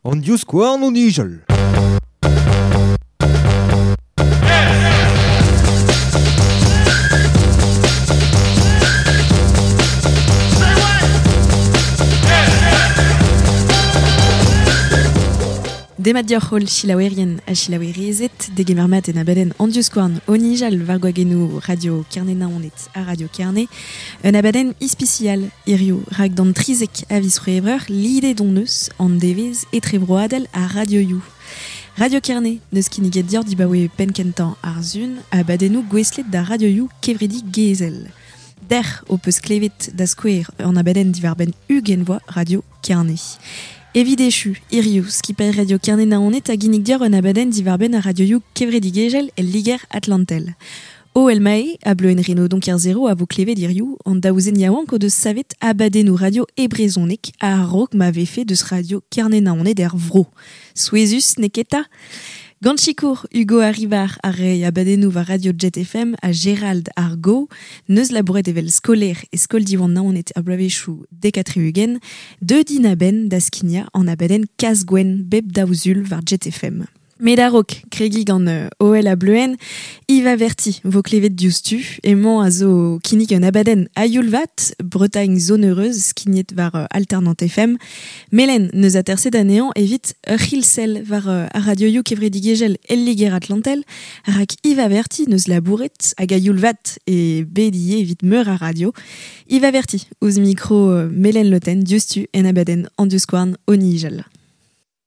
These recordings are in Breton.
An divskouarn o nijal. Demat deoc'h holl selaouerien ha selaouerezed, degemer mat en abadenn An divskouarn o nijal war gwagennoù Radio Kerne-Naoned ha Radio Kerne. Un abadenn ispisial hiziv rak d'an 13 a viz C'hwevrer lidet hon eus an devezh etrebroadel ar radioioù. Radio Kerne n'eus kinniget deoc'h dibaoe penn-kentañ ar Sun abadennoù gouestlet d'ar radioioù kevredigezhel. Dec'h ho peus klevet da skouer an abadenn diwar-benn ugent vloaz Radio Kerne. Evit echu, hiziv, skipailh Radio Kerne Naoned a ginnig deoc'h un abadenn diwar-benn ar radioioù kevredigezhel el Liger Atlantel. OL Mae ha Bleuenn Renaudon Kerzero a vo klevet hiziv an daou zen yaouank o deus savet abadennoù radio e brezhoneg a-raok ma vefe deus Radio Kerne Naoned er vro. Souezhus, n'eo ket 'ta? Gant sikour Hugo Arrivar ar re abadennoù war Radio Jet FM ha Gérald ar Go, neus labouret evel skolaer e skol Diwan Naoned ar bloavezhioù dek ha tri-ugent, deuet int a-benn da skignañ an abadenn Kazh-Gwenn bep daou sul war Jet FM. Met a-raok kregiñ gant OL ha Bleuenn, Yves Averti vo klevet diouzhtu. Emañ a zo kinnig un abadenn a-youl vat, Bretagne Zone Heureuse, skignet war Alternant FM. Melen neus aterset anezhañ evit ur c'hilsell war ar radioioù kevredigezhel el Liger-Atlantel, rak Yves Averti neus labouret hag a-youl vat e bet ivez evit meur a radio. Yves Averti ouzh mikro Melen Loten diouzhtu en abadenn An divskouarn o nijal.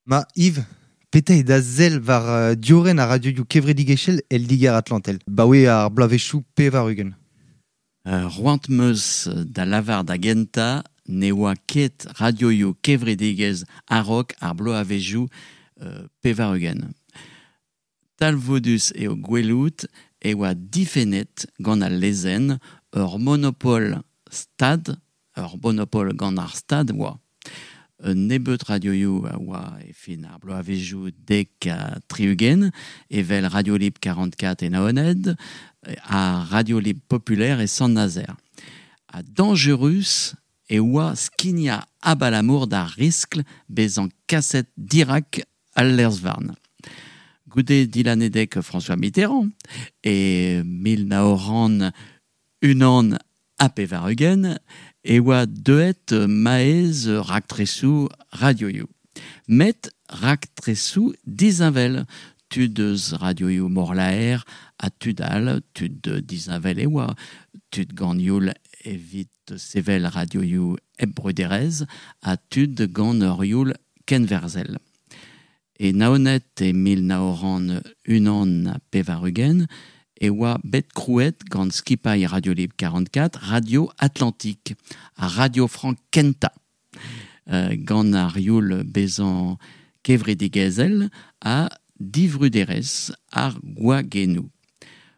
Ma Yves, petra eo da sell war diorren ar radioioù kevredigezhel el Liger-Atlantel, 'baoe ar bloavezhioù pevar-ugent? C'hoant 'm eus da lavar da gentañ ne oa ket radioioù kevredigezh a-raok ar bloavezhioù pevar-ugent. Talvoudus eo gwelout e oa difennet gant al lezenn ur monopol stad, ur monopol gant ar Stad oa. Un nebeud radioioù a oa e fin ar bloavezhioù dek ha tri-ugent, evel Radio Libre 44 e Naoned ha Radio Libre Populaire e Sant-Nazer. Ha dañjerus e oa skignañ abalamour d'ar riskl bezañ kaset dirak al lez-varn. Goude dilanedeg François Mitterrand e 1981 e oa deuet maez raktresoù radioioù. Met raktresoù disheñvel, tud eus radioioù Morlaer ha tud all, tud disheñvel e oa, tud gant youl evit sevel radioioù hep bruderezh ha tud gant ur youl kenwerzhel. E Naoned e 1981 e oa bet krouet gant skipailh Radio Libre 44 Radio Atlantique ha Radio Frank kentañ gant ar youl bezañ kevredigezhel ha divruderezh ar gwagennoù.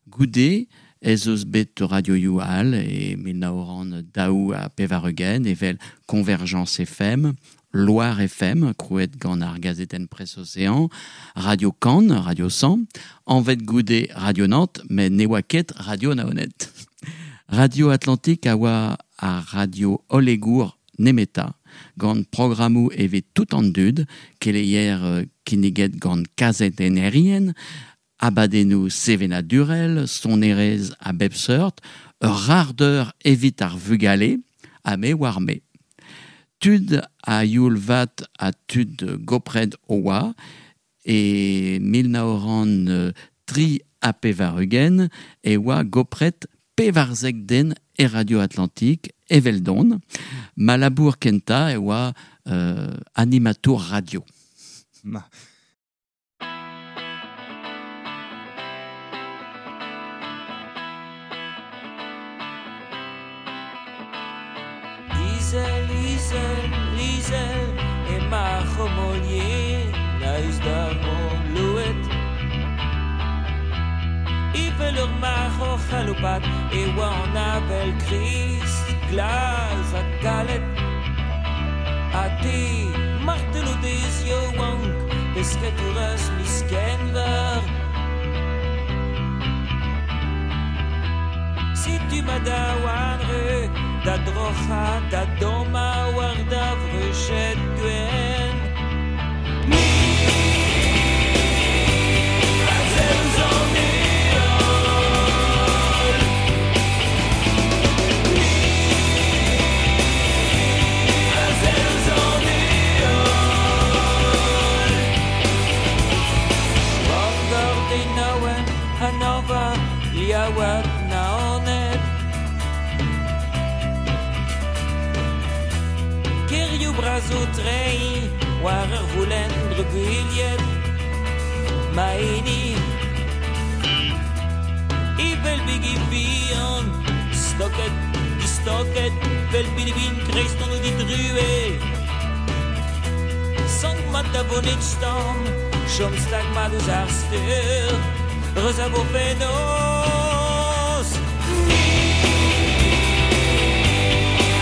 Goude ez eus bet radioioù all e 1982 evel Convergence FM, Loire FM, krouet gant ar gazetenn Presse Océan, Radio Cannes, Radio 100, anvet goude Radio Nantes, met ne oa ket Radio Naoned. Radio Atlantique a oa ar radio hollegour nemetañ, gant programmoù evit tout an dud, keleier kinniget gant kazetennerien, abadennoù sevenadurel, sonerezh a bep seurt, ur rardeur evit ar vugale, ha me oar me. Tud a youl vat ha tud gopred o oa, e 1983 e oa gopret 14 den e Radio Atlantique eveldon. Ma labour kentañ e oa animatour radio. Ma. Izel, izel, izel emañ ar c'homolier a-us d'ar mor louet. Evel ur marc'h o c'haloupat e oa an avel kriz, glas ha kalet. Ha te, martelodez yaouank, pesketourez miz Genver. Setu ma daouarn re Da drocha, da doma war da vruchet gwen. Ni a sell ouzh an heol. Ni a sell ouzh an heol. Bangor Dinaouen, Hanova, Liaouat, Naoned. Kerioù bras o treiñ war ur voulenn drubuilhet. Ma hini evel bigi bihan, stoket, distoket, vel bilibin kreist an didrue. Sank mat da vonet stamm, chom stag mat eus ar steur, reus a vo fenoz. Ni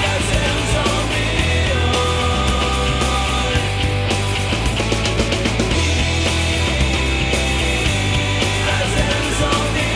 a sell ouzh an heol. Ni a sell ouzh an heol.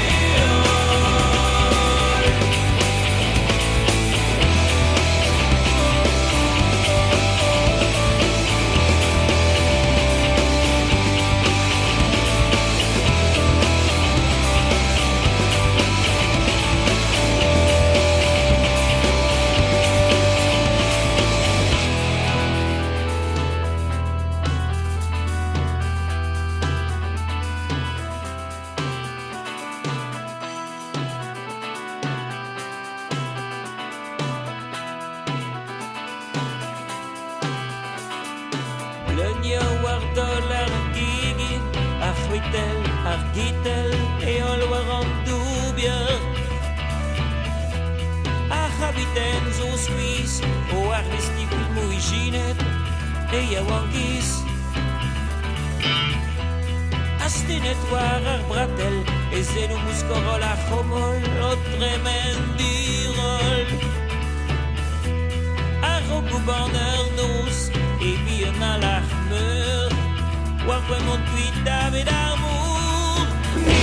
Bleunioù war daol ar gegin, ar c'hwitell, ar gitell, heol war an doubier. Ar c'habiten zo skuizh, o arvestiñ filmoù ijinet, e yaouankiz. Astennet war ar bratell, e zelloù mouskorol ar c'homol, o tremen diroll. A-raok ober ur noz, e bihan alarc'h meur, war poent mont kuit davet ar mor. Ni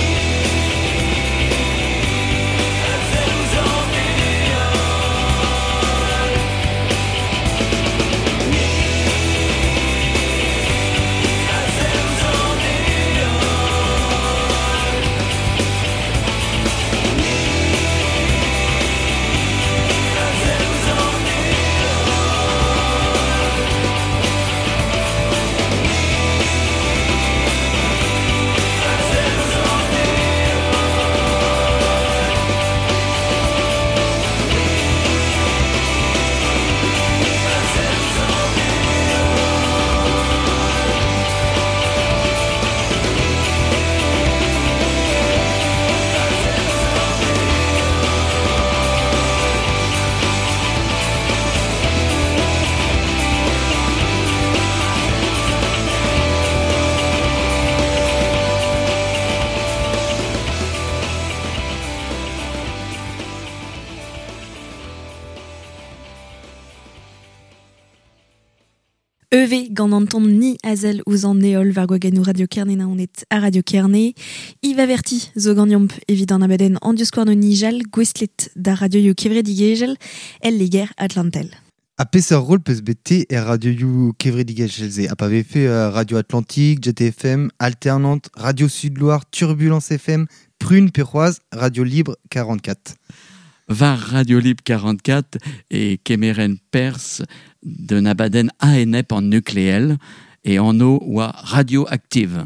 a sell ouzh an heol. Ni a sell ouzh an heol. Ni a sell ouzh an heol. A sell ouzh an heol. A sell ouzh an Eve gant an ton ni azel ouzh an heol war gwagennoù Radio Kerne Naoned ha Radio Kerne. Yves Averti zo ganeomp evit an abadenn an diskouarn o nijal gouestlet da radioioù kevredigezhel el Liger Atlantel. A peseurt rôle peus bet te er radioioù kevredigezhel se? Ha pa vefe Radio Atlantique, Jet FM, Alternante, Radio Sud-Loire, Turbulence FM, Prune pe c'hoazh, Radio Libre 44. War Radio Libre 44 e kemeren Pers de abadenn ANEP an nukleel e anv oa Radioactive.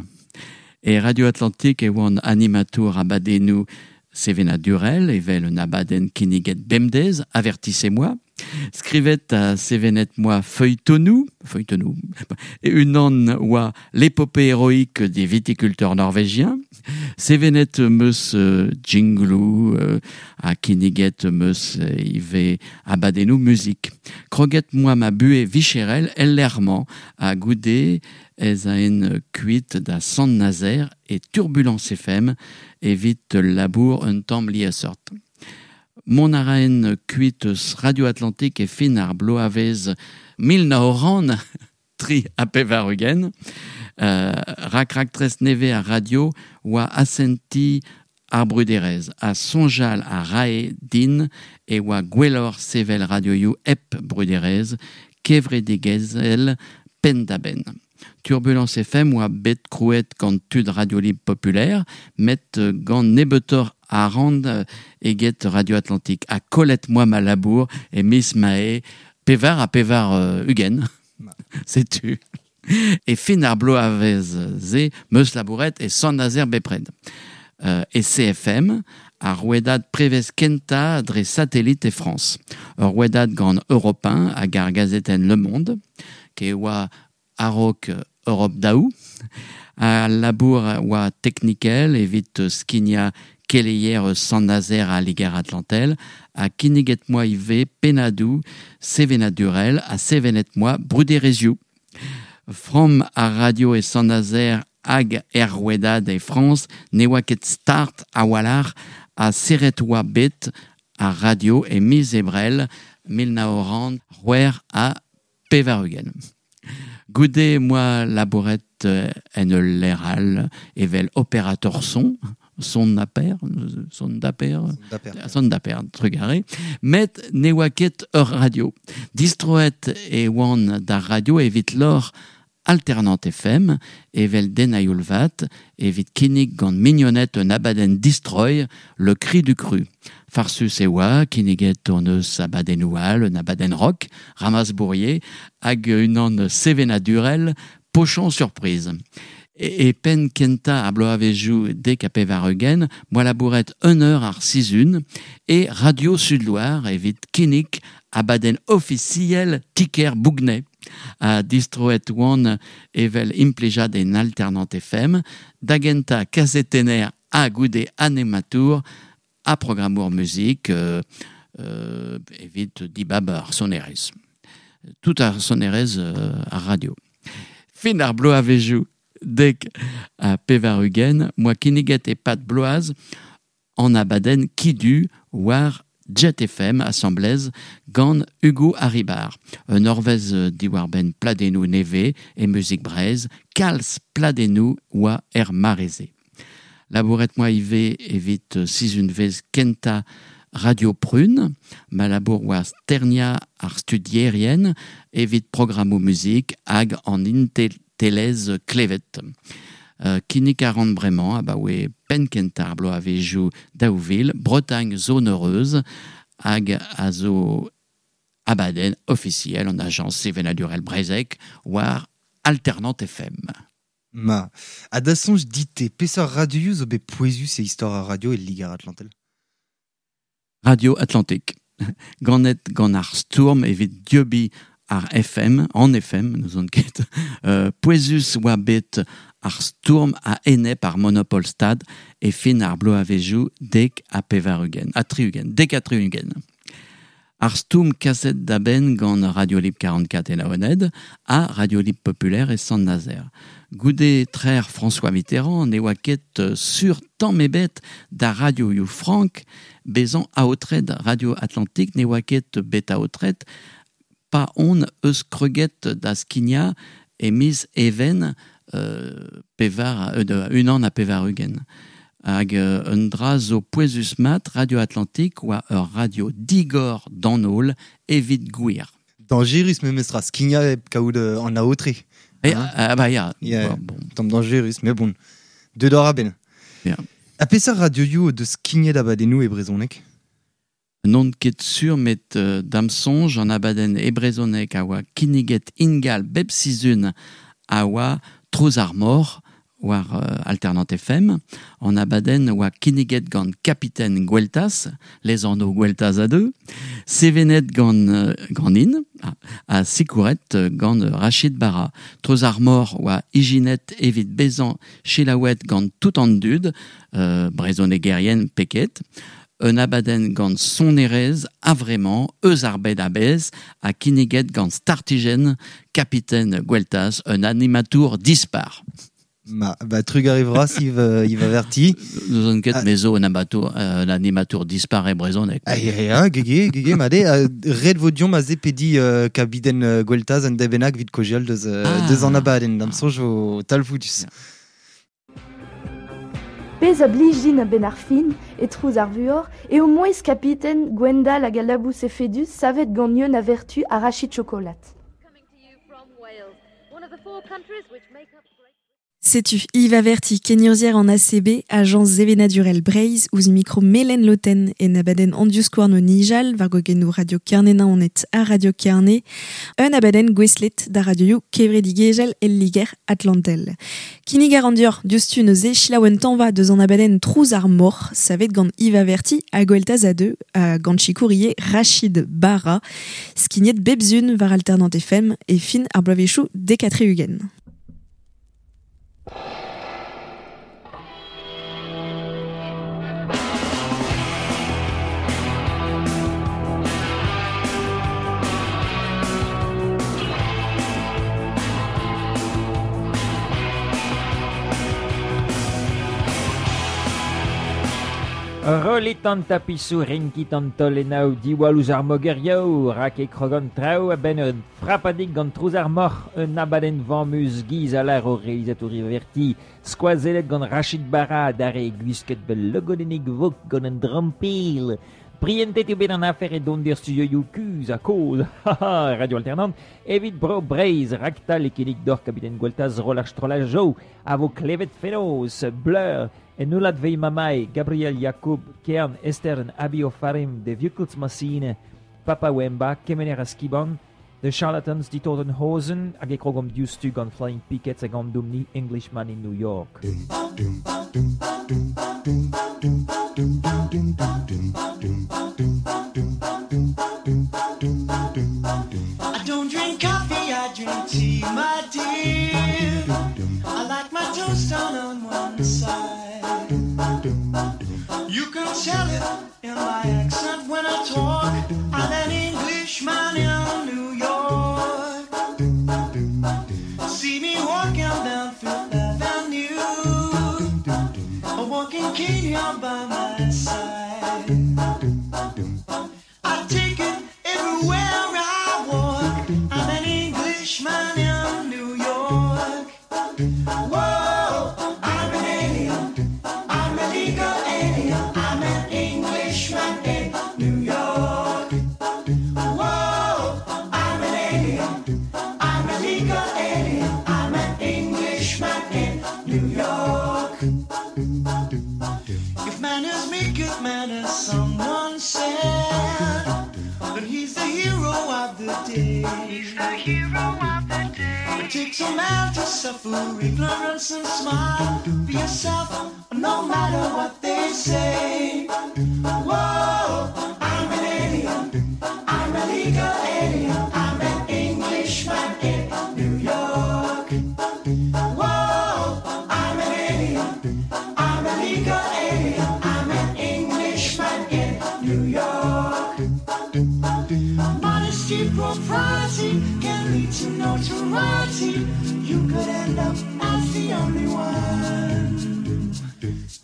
E Radio Atlantique e oan animatour abadennoù sevenadurel evel un abadenn kinniget bemdez, avertissez-moi. Skrivet a sevenet moi feuilletonou, feuilletonou, e unan oa l'épopée héroïque des viticulteurs norvégiens. Sevenet meus jinglou a kinniget meus ive abadennoù musique. Kroget moi ma bue vicherel el lerman a goude ez a en kuit da Sant-Nazer e Turbulence FM evit labour un tamm liesseurt. Mont a raen kuit eus Radio Atlantique e fin ar bloavezh mil nav c'hant tri ha pevar-ugent. Rak raktres neve ar radio oa asenti ar bruderez a sonjal a rae din e oa gwelloc'h sevel radioioù hep bruderez kevredigezhel penn-da-benn. Turbulence FM oa bet krouet gant tud Radio Libre Populaire, met gant nebeutoc'h arc'hant eget Radio Atlantique. Ha kollet moa ma labour e miz Mae 84. Setu. E fin ar bloavezh-se 'meus labouret e Sant-Nazer bepred. E CFM, ar rouedad prevez kentañ dre satellit e Frañs. Ur rouedad gant Europe 1 hag ar gazetenn Le Monde, ke oa a-raok Europe daou. Al labour oa teknikel evit skignañ keleier eus Sant-Nazer ha Liger-Atlantel ha kinniget 'moa ivez pennadoù sevenadurel ha sevenet 'moa bruderezhioù. Framm ar radio e Sant-Nazer hag er rouedad e Frañs ne oa ket start a-walc'h ha serret oa bet ar radio e miz Ebrel 1986. Goude 'moa labouret en ul lec'h all evel operator son, son d'aper, son d'aper, son d'aper, trugarez, met ne oa ket ur radio. Distroet e oan d'ar radio evit lor Alternant FM, evel den a-youl vat, evit kinnig gant mignoned un abadenn distroiñ, Le Cri du Cru. Farsus e oa, kinniget hon eus abadennoù all, un abadenn rock, Ramas Bourrier, hag unan sevenadurel, Pochon Surprise. E penn kentañ ar bloavezhioù 90 'moa labouret un eur ar sizhun e Radio Sud-Loire evit kinnig abadenn ofisiel ti-kêr Bougnay. Ha distroet oan evel implijad en Alternant FM, da gentañ kazetenner ha goude animatour ha programmour muzik evit dibab ar sonerezh. Tout ar sonerezh ar radio. Fin ar bloavezhioù 90 'moa kinniget e-pad bloaz an abadenn Ki-Du war Jet FM asambles gant Hugo Haribar. Un eurvezh diwar-benn pladennoù nevez e muzik Breizh, kalz pladennoù oa er mare-se. Labouret 'moa ivez evit sizhunvezh kentañ Radio Prune, ma labour oa sterniañ ar studierien evit programmoù muzik hag an inteltelezh klevet. Kinnig a ran bremañ abaoe penn-kentañ ar bloavezhioù 2000 Bretagne Zone Heureuse hag a zo abadenn ofisiel an ajañs sevenadurel breizhek war Alternant FM. Ma, ha da soñj dit-te, peseurt radioioù zo bet pouezus e istor ar radio e Liger-Atlantel? Radio Atlantique, ganet gant ar stourm evit dieubiñ ar FM, an FM, n'ouzon ket, pouezus oa bet ar stourm a-enep ar monopol stad e fin ar bloavezhioù 70, ha 60, 70. Ar stourm kaset da benn gant Radio Libre 44 e Naoned ha Radio Libre Populaire e Sant-Nazer. Goude trec'h François Mitterrand ne oa ket sur tamm ebet da radioioù frank bezañ aotret Radio Atlantique ne oa ket bet aotret pa on eus kroget da skignañ e miz Even pevar 81. Hag un dra zo pouezus-mat, Radio Atlantique oa ur radio digor d'an holl evit gwir. Dañjerus memestra, skignañ hep kaout an aotre. Hein? Ah bah ya, yeah. Bon. Tamm dañjerus, mais bon, deuet oc'h a-benn. Yeah. Ha peseurt radioioù o deus skignet abadennoù e brezhoneg? N'on ket sur met da'm soñj an abadenn e brezhoneg a oa kinniget ingal bep sizhun a oa Trouz ar mor war Alternant FM. An abadenn oa kinniget gant Kapiten Gweltaz, lesanv Gweltaz a deu, sevenet gant ganin ha sikouret gant Rachid Bara. Trouz ar mor oa ijinet evit bezañ selaouet gant tout an dud, brezhonegerien pe ket. Un abadenn gant sonerezh a-vremañ eus ar bed a-bezh ha kinniget gant startijenn Kapiten Gweltaz, un animatour dispar. Ma, ba trugarez vras Yves, Yves Averti. N'ouzon ket, me zo un amatour, un animatour dispar e brezhoneg. Ah, ya, ya, gege, gege, mat eo. Ret vo deomp aze pediñ kabiten Gweltaz un deiz bennak evit kaozeal deus, deus an abadenn. Da'm soñj vo talvoudus. Ya. Pezh a blij din a-benn ar fin, e Trouz ar vuoc'h, eo mouezh kapiten Gwendal hag al labous efedus savet gant Yeun a Vertu ha Rachid Chocolat. Setu Yves Averti, kenurzhier an ACB, Ajañs Sevenadurel Breizh, ouzh mikro Melen Loten en abadenn an divskouarn o nijal, war gogennoù Radio Kerne-Naoned ha Radio Kerne, un abadenn gouestlet da radioioù kevredigezhel el Liger Atlantel. Kinnig a ran deoc'h diouzhtu neuze selaou un tañva deus an abadenn Trouz ar mor, savet gant Yves Averti ha Gweltaz Adeux, ha gant sikour ivez Rachid Barra, skignet bep sun war Alternant FM e fin ar bloavezhioù 70. Rollit an tapisoù, renkit an taolennoù, diwall ouzh ar mogerioù, rak e krog an traoù a-benn ur frapadig gant trouz ar moc'h, un abadenn vammus giz a lâr o reizatour Verti, skoazellet gant Rachid Barra adarre gwisket 'vel logodennig vok gant un drampil. Prientet eo bet an afer e donder studioioù kuzh ha kozh, haha, Radio Alternant, evit Bro Breizh, raktal e kinnig deoc'h kabiten Gweltaz roll ar strollad Joe, a vo klevet fenoz, Blur, En Ulat Veimamai, Gabriel Jacob, Kern, Esther Abi Ofarim, De Massine, Papa Wemba, Kemener Askiban, The Charlatans, Die Toten Hosen, hag e krogomp diouzhtu gant Flying Pickets hag an domni Englishman in New York. I don't drink coffee, I drink tea, my dear. I like my toast on one side. You can tell it in my accent when I talk. I'm an Englishman in New York. See me walking down Fifth Avenue, a walking cane here by my side. I take it everywhere I walk. I'm an Englishman in New York. Whoa, I'm an alien. I'm a legal alien. I'm an Englishman in New York. Whoa, I'm an alien. I'm a legal alien. I'm an Englishman in New York. If manners make good manners, someone said, then he's the hero of the day. He's the hero of the day. It takes a man to suffer ignorance and smile. Be yourself, no matter what they say. Whoa, I'm an alien. I'm a legal alien. I'm an Englishman in New York. Whoa, I'm an alien. I'm a legal alien. I'm an Englishman in New York. Modesty, propriety can lead to notoriety. You could end up as the only one.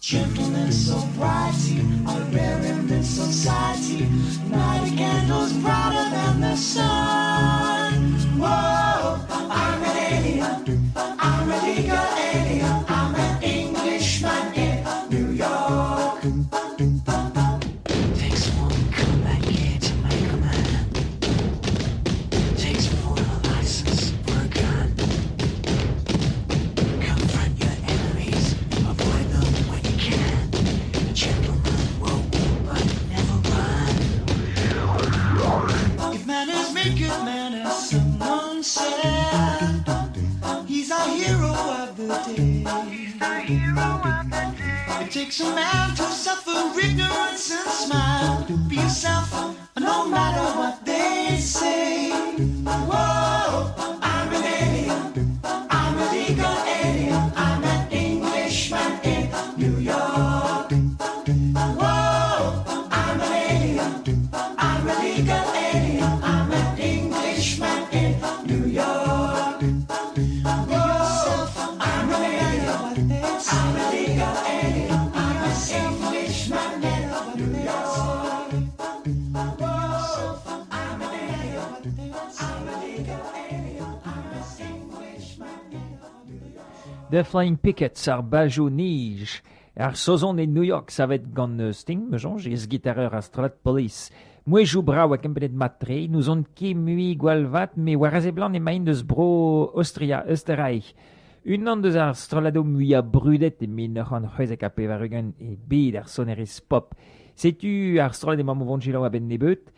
Gentleness, sobriety are rare in this society. Not a candle's brighter than the sun. Whoa, I'm an alien. I'm a legal alien. I'm an Englishman in New York. Takes one comeback kid to make a man. Takes more than a license for a gun. Confront your enemies, avoid them when you can. A gentleman will walk but never run. If manners make good manners, someone said, he's our hero of the day. He's the hero of the day. It takes a man to suffer ignorance and smile. Be yourself, no matter what they say. Whoa, I'm an alien. I'm a legal alien. I'm an Englishman in New York. Whoa, I'm an alien. I'm a legal alien. I'm an Englishman in New York. Whoa, I'm an alien. I'm a legal alien. I'm an Englishman in New York. Whoa, I'm an alien. I'm a legal alien. I'm an Englishman in New York. The Flying Pickets ar bajo nij. Ar sozon e New York savet gant Sting, me jonge, ez gitareur ar strollad Police. Mouejou brao a kempenet matre, nous on ket mui gwalvat, me war aze blan emaint deus bro Austria, Österreich. Unan deus ar strollado muia brudet e 1980 e bed ar sonerez pop. Setu ar strollad emañ mo vont a ben nebeut.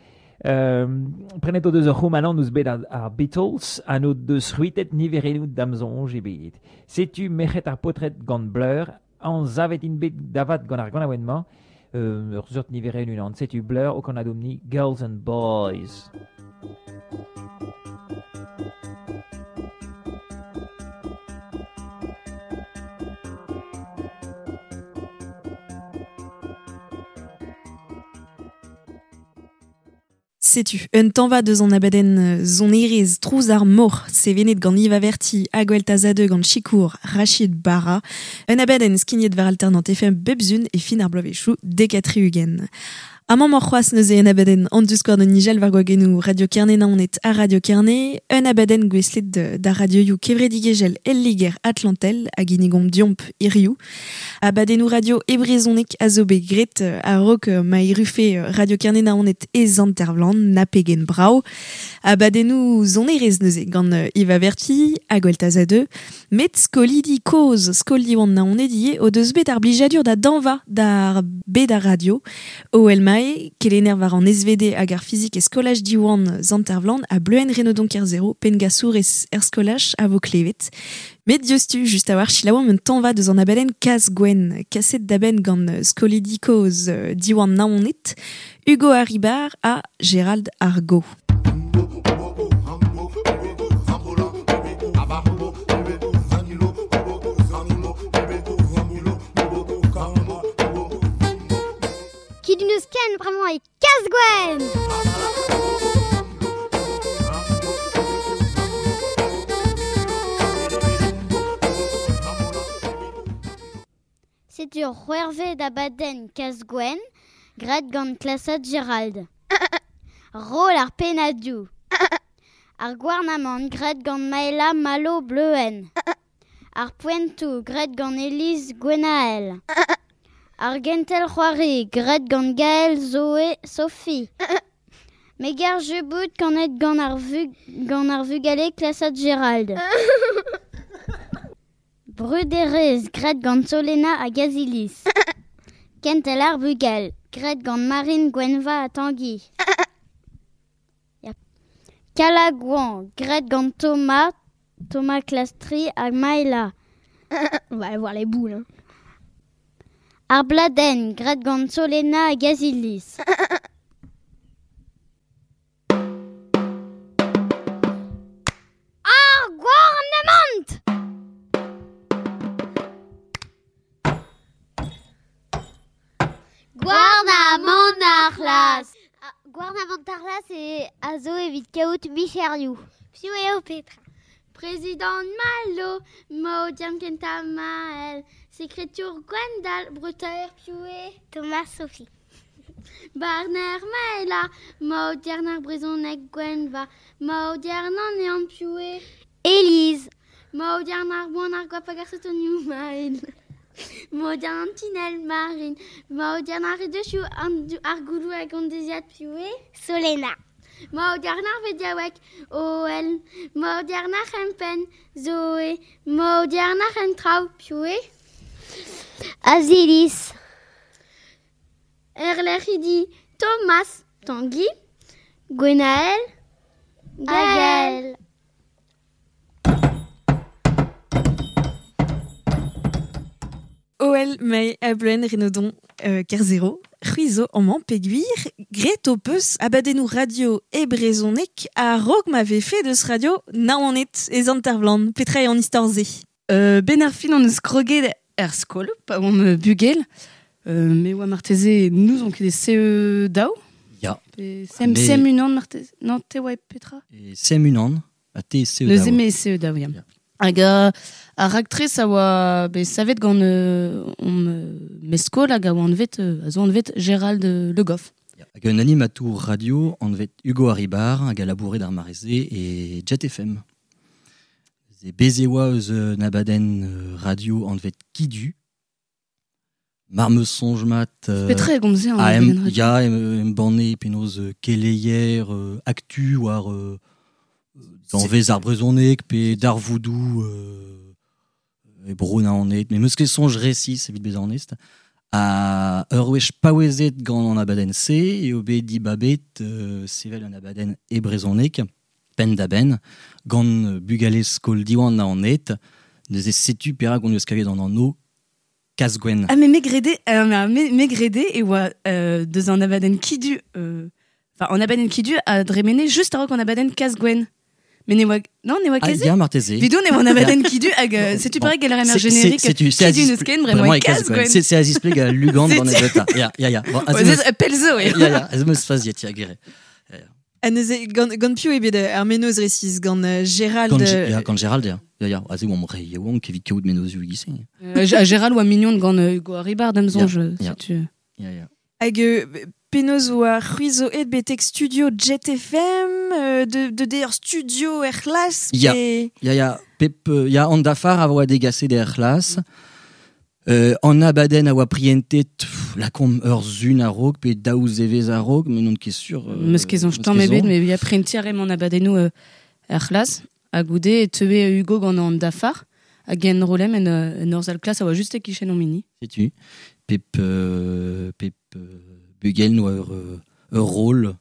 Prenet o deus ur c'houmanant ouzh bet ar Beatles, an o deus c'hwitet niverennoù damzonj e bet. Setu mec'het ar potret gant Blur, an zavet int bet davat gant ar ganaouenn-mañ, ur seurt niverenn unan. Setu Blur o kanadomni Girls and Boys. Setu, un tanva deus an abadenn zonerez trouz ar mor, sevenet gant Yves Averti, Aguel Tazade gant Chikour, Rachid Barra, un abadenn skignet war alternant FM bebzun e fin ar bloavezhioù dekatri ugen. Amañ mor c'hoazh neuze un abadenn an diskouarn un nijel war gwagennoù Radio Kerne Naoned ha Radio Kerne, un abadenn gouestlet da radioioù kevredigezhel el Liger Atlantel hag inigomp diomp hiziv. Abadennoù radio e brezhoneg a zo bet graet a-raok ma irufe Radio Kerne Naoned e Zantervlan, na pegen brav. Abadennoù zonerez neuze gant Yves Averti, hag Gweltaz a met skolidi kozh skol Diwan Naoned ivez o deus bet ar blijadur da danva d'ar bet ar radio. O elmae, kelener war an SVD hag ar fizik e skolaj Diwan Zantervlan a bleuen Renaudon Kerzero, pengasour er skolaj a vo klevet. Met diouzhtu, just a-walc'h selaouomp un tanva deus an abadenn Kaz Gwenn, kaset da benn gant skolidi kozh Diwan Naoned, Hugo Haribar ha Gérald Argot. Qui d'une scan vraiment est Kaz Gwenn. C'est ur c'hwervet abadenn Kaz Gwenn, graet gant klasad Gérald. Roll ar pennadoù. Ar gouarnamant graet gant Maëla Malo Bleuen. Ar poentoù graet gant Élise Gwenaël. Ar gentel c'hoari graet gant Gaël Zoé Sophie. Megar jebout kanet gant ar gant ar vugale klasad Gérald. Bruderez graet gant Solena hag Azilis. Kentel ar bugal graet gant Marine Gwenva ha Tanguy. Kalagouan graet gant Thomas, Thomas Clastri hag Maëla. On va aller voir les boules. Hein. Ar bladenn graet gant Solena hag Azilis. Ar gouarnamant! Gouarnamant ar c'hlas. Gouarnamant ar c'hlas e a zo evit kaout micherioù. Piv eo Petra? Président Malo, Maudiam Kenta Maël, Secrétaire Gwendal, Bretaer Pioué, Thomas Sophie. Barner Maëla, Maudiarnar Brezonek Gwenva, Maudiarnan Nean Pioué, Élise, Maudiarnar Boanar Guapagarsetoniou Maël, Maudiarnan Tinel Marine, Maudiarnar Redechou Argoulou Agondeziat Pioué, Solena. Maudiarnar Vediawek, OL, Maudiarnar Hempen, Zoé, Maudiarnar Hentrau, Pioué, Azilis, Erleridi, Thomas, Tanguy, Gwenaël, Gaël. OL Mae a Bleuen Renaudon Kerzero, c'hwizo amañ pegwir, graet ho peus abadennoù radio e brezhoneg a-raok ma vefe deus radio Naoned e Zantervlan. Petra eo an istor-se? Ben ar fin an eus kroget er skol, pa oamp bugel. Me oa marteze nous on ket e CE daou. Ya. Pe CM, Mais CM unan marteze. Non, te oa Petra? E CM unan, a te CE Neuze daou. me CE daou, ya. Ya. Hag ar raktres a oa bet savet gant on meskol hag a oa anvet, a zo anvet Gérald Le Goff. Ya. Hag un animatour radio anvet Hugo Haribar hag a labouret ar mareze e Jet FM. Ze beze oa eus un abadenn radio anvet Kidu. Mar me sonj mat... Petra e gomze an a em, abadenn radio? Ya, em, em banne penaos keleier aktu war danvez ar brezhoneg pe darvoudoù e bro Naoned. Mais meus ket soñj resis evit bezañ onest. A ur wech paouezet gant an abadenn-se eo bet dibabet sevel an abadenn e brezhoneg penn da benn gant bugale skol Diwan Naoned. Neuze setu perak on eus kavet an anv Kazgwenn. Ah mais me grede, me, me grede e oa deus an abadenn Kidu, enfin an abadenn Kidu a dremene just a-raok an abadenn Kazgwenn. Mais ne oa, non, ne oa Ah, ket se ya, marteze. Vidon e oa an abadenn Kidu hag setu Bon. perak galler ar C'est- générique c'est- c'est Kidu Aziz neus ken, Vraiment bremañ e e Kazgwenn. Kazgwenn. C'est Aziz Pleg a Lugan dans C'est- Nebeta. Ya, ya, ya. Bon, Ouais, az c'est Pelzo, eo. Ya, ya, ez meus faziet, ya, gere. Ha neuze, gant, gant piv eo bet ar menoz resis, gant Gérald... Gant, ya, gant Gérald, ya. Ya, ya, aze oamp re yaouank evit kaout menozioù e-giz-se. Gérald oa mignon gant Hugo Haribard, da'm soñj, Ya, ya. setu. Ya, ya. Hag penaos oa c'hwi zo aet betek studio Jet FM, de der studio er c'hlas, Ya. pe... Ya, ya, pep, ya, an dafar a oa degaset er c'hlas. An abadenn a oa prientet, pff, lakomp ur zun a-raok, pe daou zevez a-raok, mais non ket sur... Meus ket soñj meus tamm ket ebet, soñj. mais ya prienti a reem an abadennoù er c'hlas, ha goude e teue Hugo gant an dafar, hag en rolem en ur zal klas a oa just e-kichen an mini. Setu, pep, pep bugel noa ur rôle,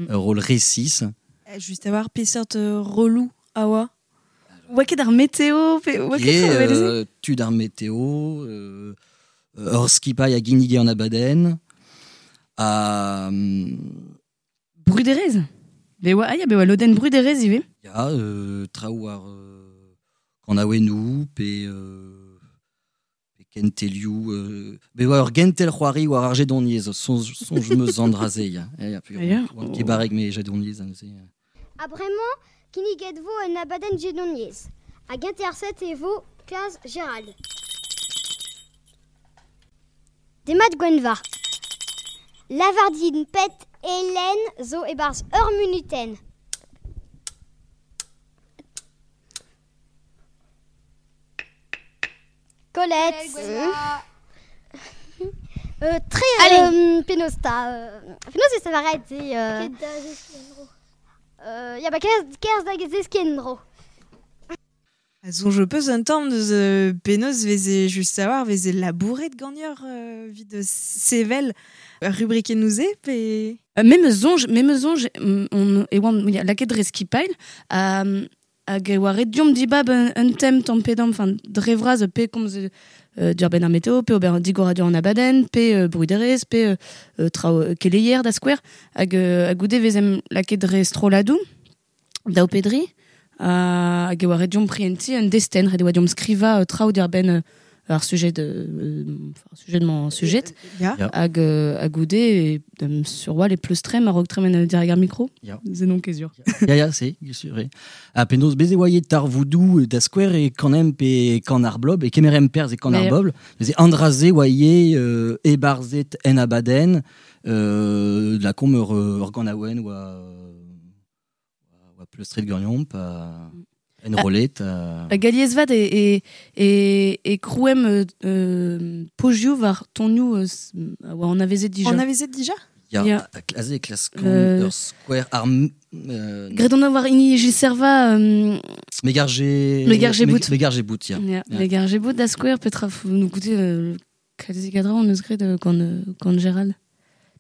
ur rôle resis. Just a war peseurt relou a oa. Oa ket ar météo, pe oa ket Et, tra evel se? tud ar météo, ur skipailh a ginnige an abadenn, a... Bruderez. Be oa, ah ya, be oa lodenn bruderez ivez. Ya, traoù ar kanaouennoù, pe, pe kentelioù... be oa ur gentel c'hoari war ar jedoniezh, soñj, soñj meus an dra-se, ya. Ya, ya, pe Ya. oan ket barrek me jedoniezh, neuze. A bremañ, kinniget vo un abadenn jedoniezh. Hag interset e vo Kaz Gérald. Demat Gwenva. Lavardin pet Hélène zo e-barzh ur munutenn. Colette. Tre Allez. penaos ta. Penaos e savaret e... ya ba kerz da zeskiñ dro. A soñj peus un tamm deus penaos veze just a war, veze labouret gagneur vid sevel rubrikennoù-se, pe... Me soñj, me soñj, on, e oan, ya, lakaet dre skipailh, hag e oa ret diomp dibab un tem tamm pe damm, enfin, dre vras pe komz dur ben ar météo, pe ober digoradur an abadenn, pe bruderez, pe traoù keleier da skouer, hag goude vezem lakaet dre strolladoù, daou pe dri, hag e oa ret diomp prienti un destenn, ret e oa diomp skriva traoù dur ben ar sujet de enfin, sujet de mon sujet. Ya. Ya. Hag goude e, sur oa les pleustrem a-raok tremen dirag ar micro. Ya. Ze non ket sur. Ya, ya, se, sur, e. Ha penaos bez e oa tarvoudoù da skouer e kanem pe kan ar blob, e kemerem perz e kan ar Mais- bobl, neuze an dra-se oa ivez e-barzhet en abadenn, la kom ur ganaouenn oa, oa pleustret ganeomp, pa en rolet. A galiezvat e krouem pojioù war tonioù oa an avezet dija. On avezet dija? Ya, Ya. a aze e klask ur skouer ar... Gret on a war hini Gilles Servat... Megarje... Megarje bout. Megarje bout, ya. Ya, Ya. Megarje bout da skouer petra nou goûter kalzi gadra on eus gret gant Gérald.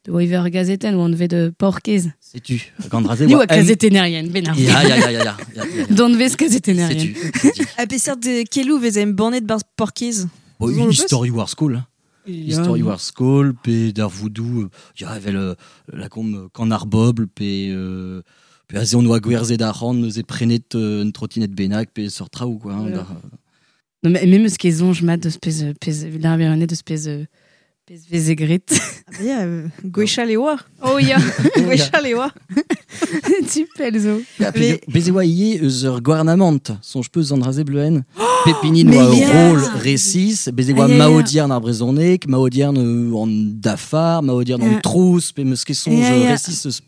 De oa ivez ur gazetenn oa anvet de Porkez. Setu, gant dra-se Ni oa oa kazetennerien, ben ar. Ya, ya, ya, ya, ya, ya, ya. Don vez kazetennerien. Setu. A peseurt de kelou veze embannet barzh Porkez. Bon, Zo History War School. hein. Ya. History War School, pe darvoudoù, ya, evel la kom kan ar bobl, pe pe aze on oa gwerzhet ar c'hant, neuze prenet un trottinette bennak, pe sort traoù, quoi. Hein, Ouais. dar, Non, mais même ce qu'ils ont, je mat de spez, pez, l'arbironnet de spez, pez vezegret. Ah bah ya, gwechall e oa. Oh ya, Gwechall e oa. tu pelzo. Ya, pe Mais- bez e oa ivez eus ur gouarnamant, soñj peus an dra-se bleuen. Pepinin Mais oa ur ya. rôle resis, bez e oa Ah, ya, ya. maodiern ar brezhoneg, maodiern an dafar, maodiern an Ya. trouz, pe meus ket soñj Ya, ya. resis eus...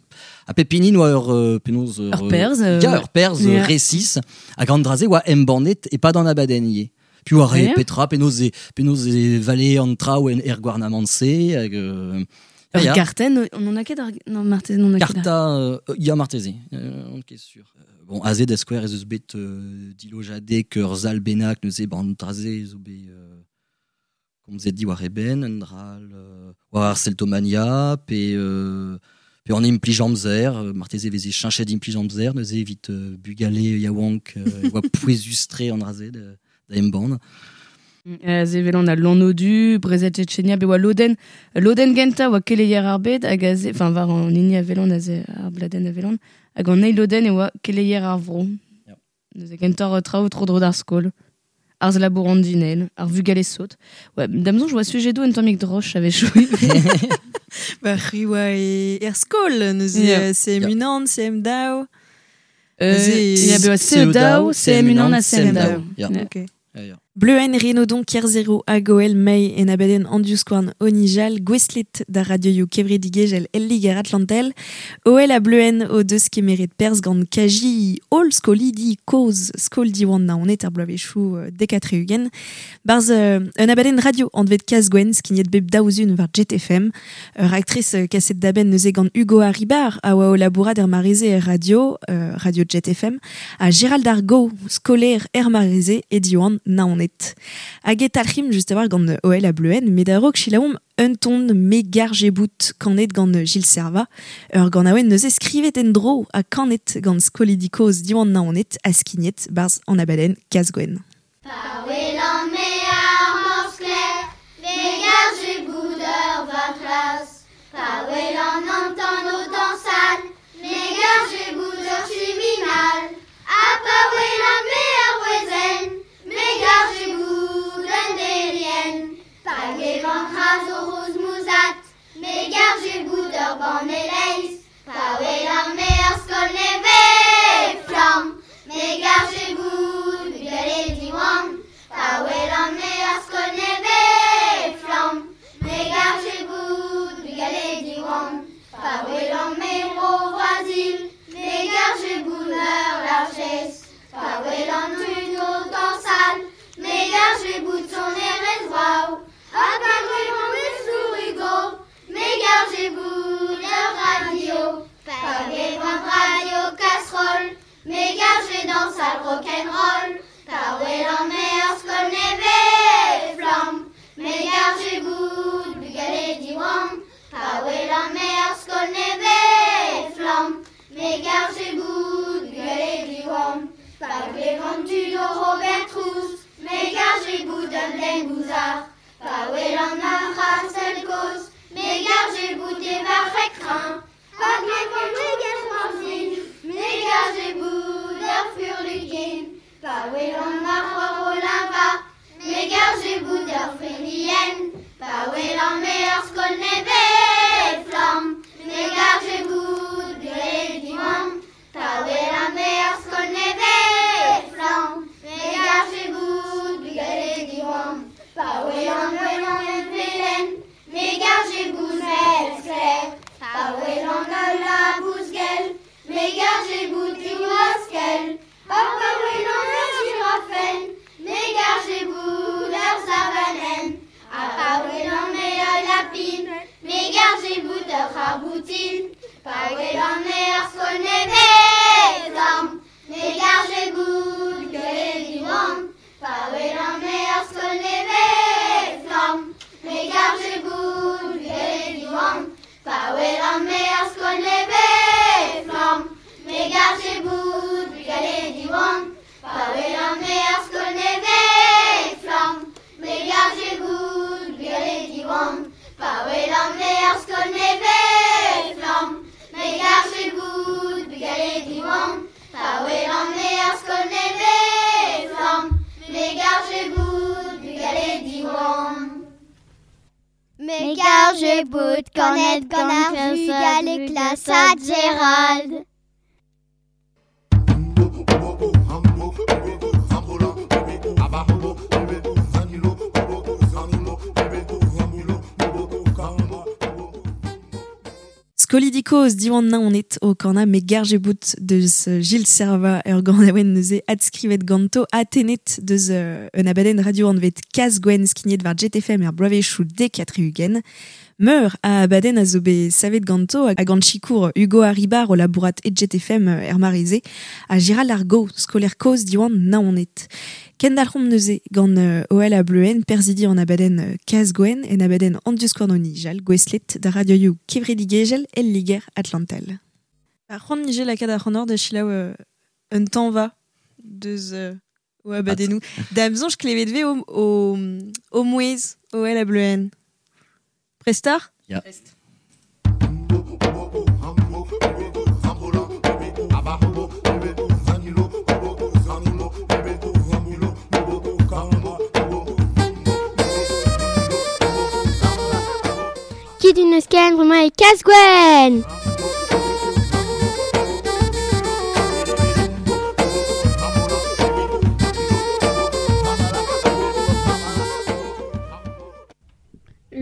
A pepinin oa ur penaos Ur perzh, Ya, ur perzh ya. resis, hag an dra-se oa embannet e pad an abadenn ivez. Piv a re Ya. petra, penaos e, penaos e vale an traoù en er gouarnamant-se, hag... Ur ya. gartenn, on en a ket ar... Non, marteze, on en a ket ar... Karta, ya marteze, on ket sûr. Bon, aze da skouer ez eus bet dilojadek ur zal bennak neuze ban traze zo bet komzet diwar e ben, un dral war ar Celtomania, pe pe an implij amzer, marteze veze cheñchet implij amzer, neuze evit bugale yaouank oa pouezustre an draze da embann. Aze vel an a Lanodu, Brezet Tchetchenia, be oa Loden, Loden genta oa keleier ar bed, hag aze, enfin war an hini a velon, aze ar bladen a velon, hag an eil Loden e oa keleier ar vro. Ya. Neuze gentoc'h traoù tro dro d'ar skol. Ar labour an dinel, ar vugale sot. Ouais, damzon, je vois sujet d'eau un tammig droch avait joué. Ba, c'hwi oa e er skol, neuze Ya. CM Ya. unan, CM daou. Ya be oa CE daou, CM unan ha CM daou. Ya. Ya. Ok. Ya, ya. Bleuen Renaudon Kerzero hag Mei en abadenn an diouzskouarn Onijal, gwestlet da radioioù kevredigezhel el Liger Atlantel, OL a Bleuen o deus kemeret perz gant kaji holl skolidi koz skol diwan naonet ar bloavezhioù dekatre ugen. Barz un abadenn radio anvet Kazgwen skignet bep daouzun war Jet FM. Ur actrice kaset daben neuze gant Hugo Haribar a oa o labourat er mareze er radio, radio Jet FM, a Gérald Argo, skolaer er mareze e diwan naonet. Hag e talc'him just a war gant OL a Bleuen, met a-raok chilaomp un ton megar jebout kanet gant Gilles Serva. Ur gant aouen neuze skrivet en dro a kanet gant skolidi koz diwan naonet a skignet barz an abadenn Kazgwen. Pa welan me ar morskler, me garje boudeur va klas. Pa welan an tan o dansal, me garje boudeur chiminal. Ha pa welan me ar wezen, me garje boud un delien. Pa gevan c'haz o roz mouzat, me garje boudeur ban eleiz. Pa welan me ar skol neve flamm, me garje boud bugale diwan. Pa welan me ar skol neve flamm, me garje boud bugale diwan. Pa welan me bro voisil, me garje boud meur largesse. Pa welan tud o dansal, me garje boud son erez vrao. Ha pa gwelan me sourigo, me garje boud ur radio. Pa gevan radio casserole, me garje dansal rock'n'roll. Pa welan me ur skol neve flamm, me garje boud bugale diwan. Pa welan me ur skol neve flamm, me garje boud bugale diwan. Pa glevan tud o Robert Trous, me garje boud un den gouzar. Pa welan ar c'hastel koz, me garje boud e varc'hek train. Pa glevan me garje me garje boud ur furlukin. Pa welan ar c'hoar o linva, me garje boud ur fenien. Pa welan me ur skol neve flamm, me garje boud bugale diwan. Pa welan me ur skol neve flamm, me garje boud bugale diwan. Pa welan welan en velen, me garje boud mel skler. Pa welan al labouz gell, me garje boud diwaskel. Pa pa welan ur jirafen, me garje boud ur savanen. Ha pa welan me ul lapin, me garje boud ur c'harboutin. Pa welan me ur skol neve flamm, me garje boud bugale diwan. Pa welan me ur skol neve flamm, me garje boud bugale diwan. Pa welan me ur skol neve flamm, me garje boud bugale diwan. Pa welan me ur skol neve flamm, me garje boud bugale diwan. Pa welan me ur skol neve flamm, me garje boud bugale diwan. Pa welan me ur skol neve flamm, me garje boud bugale diwan. Me garje bout kanet gant ar vugale klasad Gérald. Skolidi koz diwan naonet o kana me garje bout deus Gilles Serva ur ganaouenn neuze adskrivet ganto atenet deus un abadenn radio anvet Kaz Gwenn skignet war JTFM er bloavezhioù D4 ugen. Meur a abadenn a zo bet savet ganto hag gant sikour Hugo Arribar o labourat e JTFM er mareze ha Gérald Argo, skolaer koz diwan naonet. Kendalc'homp neuze gant OL a Bleuen perzidi an abadenn Kaz Gwenn en abadenn an diouskouarn o nijal gouestlet da radioioù kevredigezhel el Liger Atlantel. Ar c'hoant nije lakaat ar c'honor da selaou un tañva deus o abadennoù. Da amzoñj klevet ve o mouezh OL a Bleuen. Prestar? Ya. Prest. Kit un eus ken bremañ e Kaz Gwenn.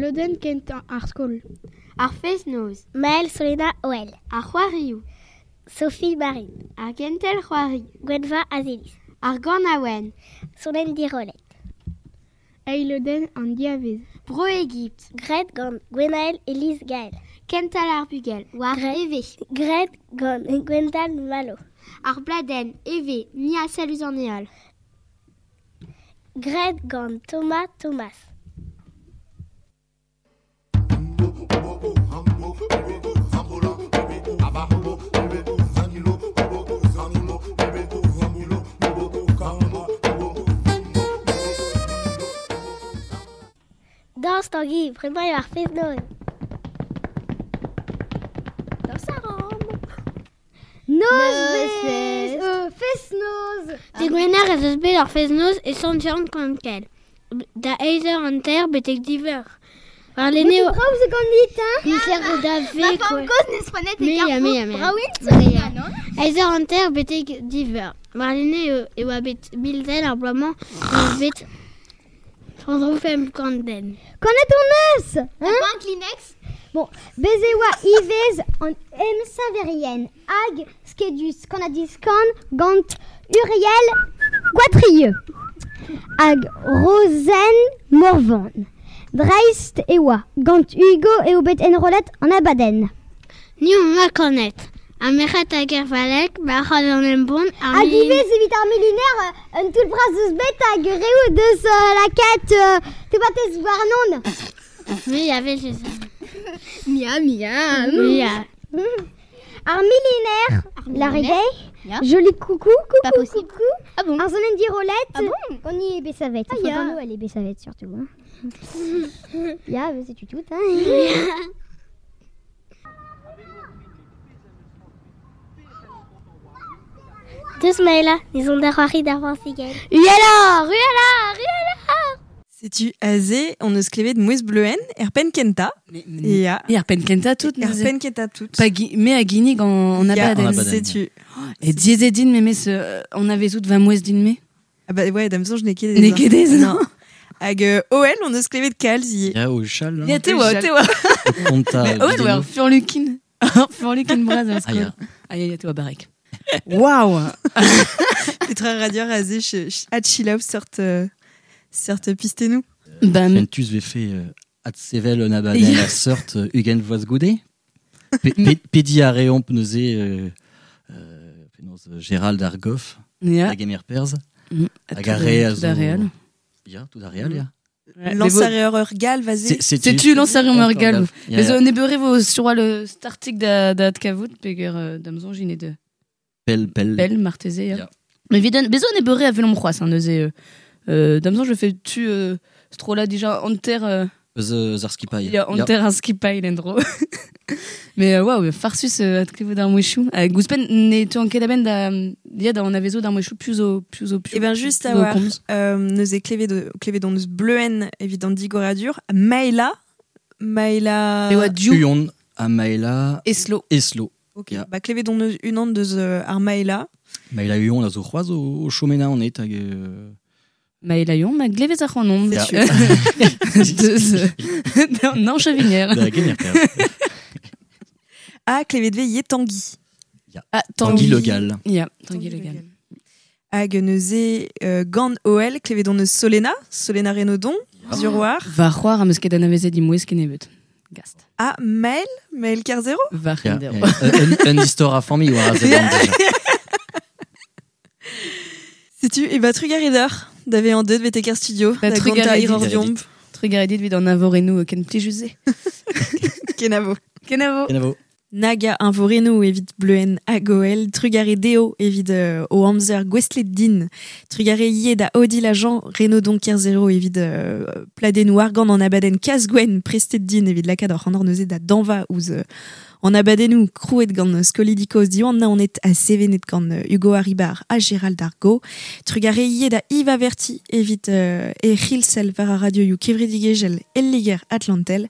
Lodenn kentañ ar skol. Ar fest-noz. Maël Solena Oel. Ar c'hoarioù. Sophie Marine. Ar gentel c'hoari. Gwenva Azelis. Ar ganaouenn. Solenn Dirolet. Eil lodenn an diavez. Bro Egipt. Graet gant Gwenaël Elise Gaël. Kental ar bugel. War eve. Graet gant Gwendal Malo. Ar bladenn eve. Mia salus an heol. Graet gant Thomas Thomas. Dañs Tangi, bremañ eo ar fest-noz. Dañs a ran. Nozvezh fest-noz. Digwener ez eus bet ar fest-noz e Sant-Yann-Konkel. Da eizh eur hanter betek div eur. Warlene Bout brav zo ganit, hein? Micher da Ma ve femme kozh n'eus prenet e Me ya, me ya, Carrefour. me ya. Braouin Me ya. non? Eizh eur hanter betek div eur. Warlene e oa bet bilzel ar bloaz-mañ e bet 35 den. Kanet on eus, hein? Pas un Kleenex? Bon, bez e oa ivez an emsaverien hag skedus kanadiskan gant Uriel Guatrieux hag Rosen Morvan. Dreist e oa gant Hugo eo bet enrollet an abadenn. Ni on ma kanet. Ar merc'hed hag ar valek, barc'had an embon, ar Hag milin- ivez evit ar miliner, un toull bras eus bet hag reoù deus lakaat tebatez warnon. Me ya vez ça. Mia, mia. Mia. Ar miliner, la reggae, Ya. joli coucou, coucou, Pas possible. coucou. Ah bon? Ar zonen dirolet, Ah bon? on y est bessavet. Ah, Enfin, ya. gant nous, elle est bessavet surtout. Hein. Ya, mais c'est tout, hein. Deus Maëla, ils ont d'ar c'hoari d'ar Portugal. Uela, uela, uela. Setu aze, on eus klevet mouezh Bleuen, er penn kenta. Ya. E ar penn kentañ tout. Er neuze. penn kentañ tout. Pa me a ginnig an Ya, abadenn. En abadenn. Setu. E diezet din memes on avait out va mouezh din me. Ah bah ouais, da'm soñj n'eo ket N'eo ket ez, non. Hag OL, on eus klevet kalz ivez. Ya, o chal. Ya, te oa, te oa. Konta Mais OL oa ur furlukin. Ur furlukin bras ar Ah, skol. ya. Ah ya, ya, te oa barrek. Waouh. Petra radio aze at chilaou seurt seurt pistenou. Ben, Fentus vefe ad sevel un abadenn Ya. a seurt ugent vloaz goude. Pedi a reomp neuze penaos, Gérald ar Goff, Ya. hag Emir Perz, hag Tout ar re a tout ar zo... re all. Ya, tout ar re all, ya. Ouais, Lancer mais ur gal, vas-y. Setu lancer ur gal. Ya, Mais ya. on ebeure vo sur le startik da da kavout peger da'm soñj int de Pel, pel. Pel marteze ya. Ya. Mais viden bezo on ebeure a velomp c'hoazh hein, neuze da'm soñj je fais tu strolla dija anter Eus eus ar skipailh. Ya, anter ar skipailh en-dro. Mais waouh, farsus at klevout ar mouezhioù. Gouspenn ne tu an ket a-benn da ya da anavezo d'ar mouezhioù piv zo piv zo piv. Eh ben juste piv a zo war, komz. neuze klevet on eus Bleuen evit an digoradur, Maëla, Maëla... E oa diou. Uon ha Maëla Eslo. Eslo. Ok, Ya. ba klevet on eus unan deus ar Maëla. Maëla Uon a zo c'hoazh o chomena an et hag... Maëla Uon, ma glevez ar c'hanon. Ya. Deus non, Chavinière. Da gemer Perz. Ha klevet ve ye Tanguy. Ya. Ah, Tanguy Le Gall. Ya, Tanguy Le Gall. Hag neuze gant OL, klevet on eus Solena, Solena Renaudon, Zuroar. Va c'hoar am eus ket anavezet imouez kennebeut. Gast. Ah, Maël, Maël Kerzero. Va Ya, c'hendero. ya. Un istor a familh war a zeban déjà. Setu, e ba trugareder d'ave an deut betek ar studio, Ba da gonta trugarez iror dit. diomp. Trugarez dit evit an avorenoù ken plijus-se. Kenavo. Kenavo. Kenavo. Naga invoreno evit bleuen agoel, trugare deo evit o amzer gwestlet din, trugare ie da Odile Jean Renaudon Kerzero evit pladennou argant an abadenn Kazgwen prestet din evit lakaat ar c'hant neuze da danva ouz an abadennou krouet gant skolidikoz diwan naonet a sevenet gant Hugo Haribar ha Gérald Argo, trugare ie da Yves Averti evit e c'hilsel war ar radioioù kevredigezhel el Liger Atlantel,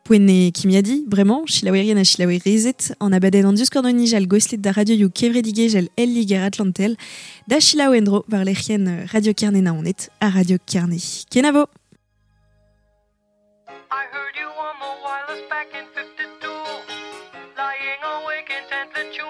Poent e kimiadi, bremañ, chilaouerien ha chilaouerezed, an abadenn an diuskorn nijal goslet da radioioù kevredigezhel el Liger Atlantel, da chilaou endro war lec'hienn Radio Kerne Naoned ha Radio Kerne. Kenavo! I heard you on the wireless back in 52. Lying awake intently tuning.